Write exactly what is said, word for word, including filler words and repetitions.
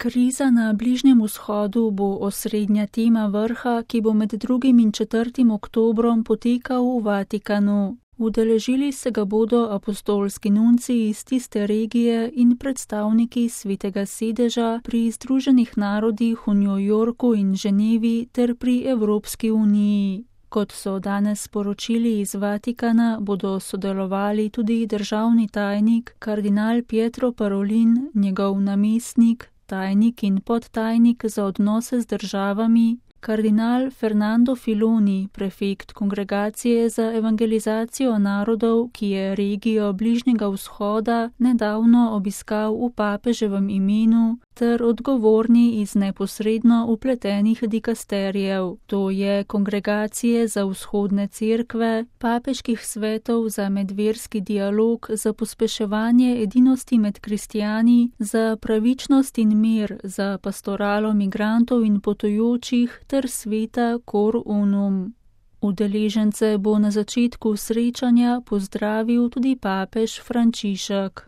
Kriza na Bližnjem vzhodu bo osrednja tema vrha, ki bo med drugim in četrtim oktobrom potekal v Vatikanu. Udeležili se ga bodo apostolski nunci iz tiste regije in predstavniki Svetega sedeža pri Združenih narodih v New Yorku in Ženevi ter pri Evropski uniji. Kot so danes sporočili iz Vatikana, bodo sodelovali tudi državni tajnik kardinal Pietro Parolin, njegov namestnik, tajnik in podtajnik za odnose z državami, kardinal Fernando Filoni, prefekt Kongregacije za evangelizacijo narodov, ki je regijo Bližnjega vzhoda nedavno obiskal v papeževem imenu, ter odgovorni iz neposredno upletenih dikasterijev, to je Kongregacije za vzhodne cerkve, papeških svetov za medverski dialog, za pospeševanje edinosti med kristijani, za pravičnost in mir, za pastoralo migrantov in potujočih ter sveta Cor Unum. Udeležence bo na začetku srečanja pozdravil tudi papež Frančišek.